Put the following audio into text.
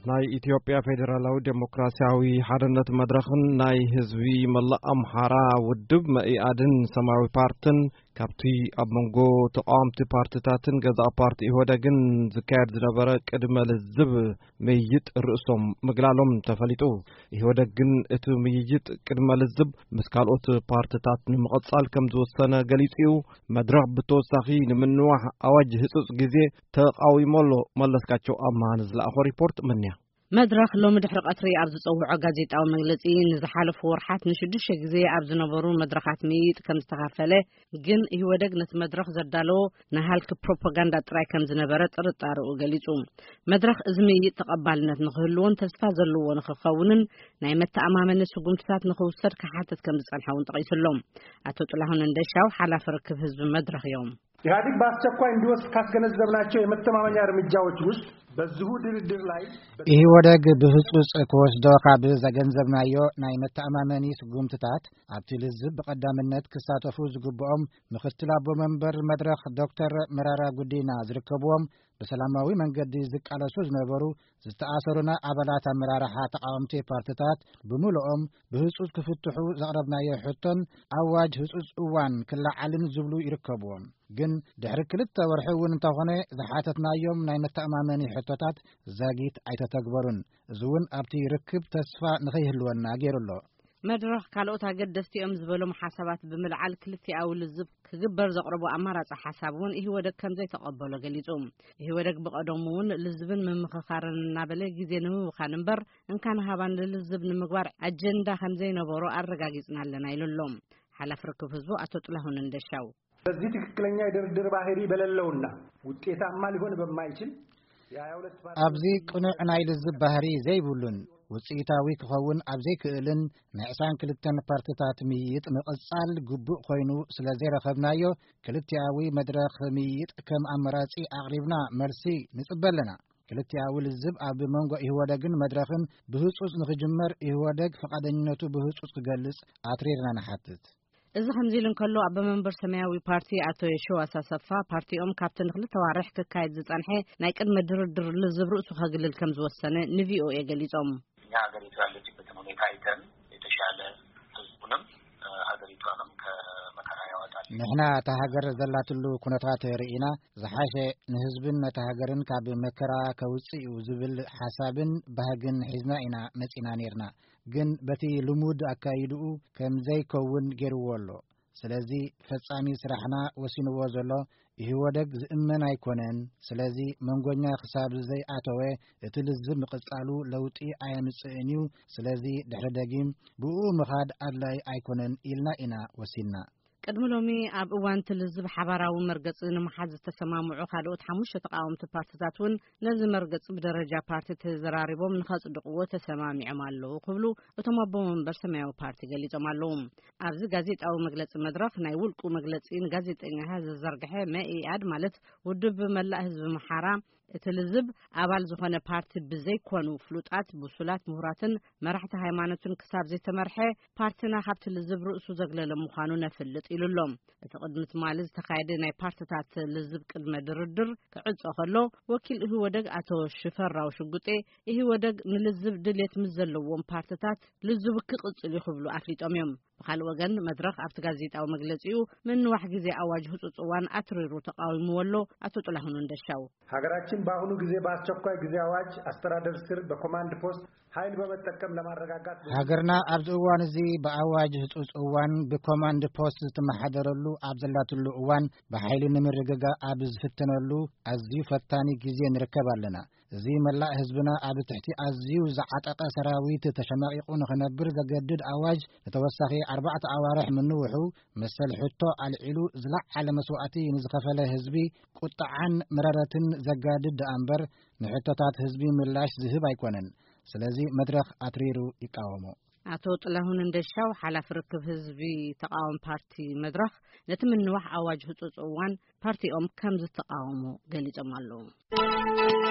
ናይ ኢትዮጵያ ፌዴራላዊ ዴሞክራሲያዊ ሓርነት መድረኽን ናይ ህዝቢ መላእ ኣምሓራ ውድብ መኢኣድን ሰማያዊ ፓርትን ካብቲ ኣብ መንጎ ተቃወምቲ ፓርትታትን ገዛእ ፓርቲ ኢህወደግን ዝካየድ ዝነበረ ቅድመ ልዝብ ምይይጥ ርእሶም ምግላሎም ተፈሊጡ። ኢህወደግ ግን እቲ ምይይጥ ቅድመ ልዝብ ምስ ካልኦት ፓርትታት ንምቕጻል ከም ዝወሰነ ገሊጹ እዩ። መድረኽ ብተወሳኺ ንምንዋሕ ኣዋጅ ህጹጽ ግዜ ተቓዊሞ ኣሎ። መለስካቸው ኣምሃ ንዝለኣኾ ሪፖርት ምንያ። መድረኽ ሎሚ ድሕሪ ቀትሪ ኣብ ዝጸውዖ ጋዜጣዊ መግለጺ፣ ንዝሓለፉ ወርሓት ንሽዱሽተ ግዜ ኣብ ዝነበሩ መድረኻት ምይይጥ ከም ዝተኻፈለ፣ ግን ኢህወደግ ነቲ መድረኽ ዘዳለዎ ንሃልኪ ፕሮፓጋንዳ ጥራይ ከም ዝነበረ ጥርጣሬኡ ገሊጹ። መድረኽ እዚ ምይይጥ ተቐባልነት ንኽህልዎን ተስፋ ዘለዎ ንኽኸውንን ናይ መተኣማመኒ ስጉምትታት ንኽውሰድ ክሓትት ከም ዝጸንሐ እውን ጠቒሱ ኣሎ። ኣቶ ጥላሁን እንደሻው ሓላፊ ርክብ ህዝቢ መድረኽ እዮም። ኢህአዴግ በአስቸኳይ እንዲወስድ ካስገነዘብናቸው የመተማመኛ እርምጃዎች ውስጥ በዚሁ ድርድር ላይ ኢህወደግ ብህጹጽ ክወስዶ ካብ ዘገንዘብናዮ ናይ መተኣማመኒ ስጉምትታት፣ ኣብቲ ልዝብ ብቐዳምነት ክሳተፉ ዝግብኦም ምኽትል ኣቦ መንበር መድረኽ ዶክተር መራራ ጉዲና ዝርከብዎም፣ ብሰላማዊ መንገዲ ዝቃለሱ ዝነበሩ ዝተኣሰሩና ኣባላት ኣመራርሓ ተቃወምቲ ፓርትታት ብምልኦም ብህጹጽ ክፍትሑ ዘቕረብናዮ ሕቶን ኣዋጅ ህጹጽ እዋን ክለዓልን ዝብሉ ይርከብዎም። ግን ድሕሪ ክልተ ወርሒ እውን እንተኾነ ዝሓተትናዮም ናይ መተኣማመኒ ሕቶታት ዛጊት ኣይተተግበሩን። እዚ እውን ኣብቲ ርክብ ተስፋ ንኸይህልወና ገይሩ ኣሎ። መድረኽ ካልኦት ኣገደስቲ እዮም ዝበሎም ሓሳባት ብምልዓል ክልቲኣዊ ልዝብ ክግበር ዘቕረቦ ኣማራጺ ሓሳብ እውን ኢህወደግ ከም ዘይተቐበሎ ገሊጹ። ኢህወደግ ብቐደሙ እውን ልዝብን ምምኽኻርን እናበለ ግዜ ንምብኻን እምበር እንካን ሃባን ልልዝብ ንምግባር ኣጀንዳ ከም ዘይነበሮ ኣረጋጊጽና ኣለና ኢሉ ኣሎ ሓላፊ ርክብ ህዝቡ ኣቶ ጥላሁን እንደሻው። በዚህ ትክክለኛ የድርድር ባህሪ በሌለውና ውጤታማ ሊሆን በማይችል የሃያ ሁለት ፓርቲ ኣብዚ ቅኑዕ ናይ ልዝብ ባህሪ ዘይብሉን ውጽኢታዊ ክኸውን ኣብ ዘይክእልን ናይ ዕስራን ክልተን ፓርትታት ምይይጥ ምቕጻል ግቡእ ኮይኑ ስለ ዘይረኸብናዮ፣ ክልቲኣዊ መድረኽ ምይይጥ ከም ኣማራጺ ኣቕሪብና መልሲ ንጽበ ኣለና። ክልቲኣዊ ልዝብ ኣብ መንጎ ኢህወደግን መድረኽን ብህጹጽ ንኽጅመር ኢህወደግ ፍቓደኝነቱ ብህጹጽ ክገልጽ ኣትሪርና ንሓትት። እዚ ከምዚ ኢሉ እንከሎ፣ ኣቦ መንበር ሰማያዊ ፓርቲ ኣቶ የሸዋስ ኣሰፋ፣ ፓርቲኦም ካብቲ ንክልተ ዋርሕ ክካየድ ዝጸንሐ ናይ ቅድመ ድርድር ልዝብ ርእሱ ከግልል ከም ዝወሰነ ንቪኦኤ ገሊጾም። እኛ ሀገሪቱ ያለችበትን ሁኔታ አይተን የተሻለ ህዝቡንም፣ እ፣ ሀገሪቷንም ከመከራ ያወጣል። ንሕና እታ ሃገር ዘላትሉ ኩነታት ርኢና፣ ዝሓሸ ንህዝብን ነታ ሃገርን ካብ መከራ ከውጽእ እዩ ዝብል ሓሳብን ባህግን ሒዝና ኢና መጺና ኔርና። ግን በቲ ልሙድ ኣካይድኡ ከም ዘይከውን ገይርዎ ኣሎ። ስለዚ ፈጻሚ ስራሕና ወሲንዎ ዘሎ ኢህወደግ ዝእመን ኣይኮነን። ስለዚ መንጎኛ ክሳብ ዘይኣተወ እቲ ልዝብ ምቕጻሉ ለውጢ ኣየምጽእን እዩ። ስለዚ ድሕሪ ደጊም ብኡ ምኻድ ኣድላይ ኣይኮነን ኢልና ኢና ወሲንና። ቅድሚ ሎሚ ኣብ እዋን እቲ ልዝብ ሓባራዊ መርገጺ ንምሓዝ ዝተሰማምዑ ካልኦት ሓሙሽተ ተቃወምቲ ፓርትታት እውን ነዚ መርገጺ ብደረጃ ፓርቲ ተዘራሪቦም ንኸጽድቕዎ ተሰማሚዖም ኣለዉ ክብሉ እቶም ኣቦ መንበር ሰማያዊ ፓርቲ ገሊጾም ኣለዉ። ኣብዚ ጋዜጣዊ መግለጺ መድረኽ ናይ ውልቁ መግለጺ ንጋዜጠኛታት ዘዘርግሐ መኢኣድ ማለት ውድብ መላእ ህዝቢ ምሓራ እቲ ልዝብ ኣባል ዝኾነ ፓርቲ ብዘይኮኑ ፍሉጣት፣ ብሱላት፣ ምሁራትን መራሕቲ ሃይማኖትን ክሳብ ዘይተመርሐ ፓርቲና ካብቲ ልዝብ ርእሱ ዘግለለ ምዃኑ ነፍልጥ ኢሉ ኣሎ። እቲ ቅድሚ ትማሊ ዝተኻየደ ናይ ፓርትታት ልዝብ ቅድመ ድርድር ክዕጾ ከሎ ወኪል ኢህወደግ ኣቶ ሽፈራው ሽጉጤ ኢህወደግ ንልዝብ ድልየት ምስ ዘለዎም ፓርትታት ልዝቡ ክቕጽል እዩ ክብሉ ኣፍሊጦም እዮም። ብኻልእ ወገን መድረኽ ኣብቲ ጋዜጣዊ መግለጺኡ ምንዋሕ ግዜ ኣዋጅ ህጹጽ እዋን ኣትሪሩ ተቃዊምዎ ኣሎ ኣቶ ጥላሁን እንደሻው። ሀገራችን በአሁኑ ጊዜ በአስቸኳይ ጊዜ አዋጅ አስተዳደር ስር በኮማንድ ፖስት ኃይል በመጠቀም ለማረጋጋት ሃገርና ኣብዚ እዋን እዚ ብኣዋጅ ህጹጽ እዋን ብኮማንድ ፖስት ዝትመሓደረሉ ኣብ ዘላትሉ እዋን ብሓይሊ ንምርግጋእ ኣብ ዝፍተነሉ ኣዝዩ ፈታኒ ግዜ ንርከብ ኣለና። እዚ መላእ ህዝብና ኣብ ትሕቲ ኣዝዩ ዝዓጠቐ ሰራዊት ተሸማቒቑ ንኽነብር ዘገድድ ኣዋጅ ንተወሳኺ ኣርባዕተ ኣዋርሕ ምንውሑ መሰል ሕቶ ኣልዒሉ ዝለዓለ መስዋእቲ ንዝኸፈለ ህዝቢ ቁጥዓን መረረትን ዘጋድድ ደኣ እምበር ንሕቶታት ህዝቢ ምላሽ ዝህብ ኣይኮነን። ስለዚ መድረኽ ኣትሪሩ ይቃወሞ። ኣቶ ጥላሁን እንደሻው ሓላፊ ርክብ ህዝቢ ተቃዋሚ ፓርቲ መድረኽ ነቲ ምንዋሕ ኣዋጅ ህጹጽ እዋን ፓርቲኦም ከም ዝተቃወሙ ገሊጾም ኣለዉ።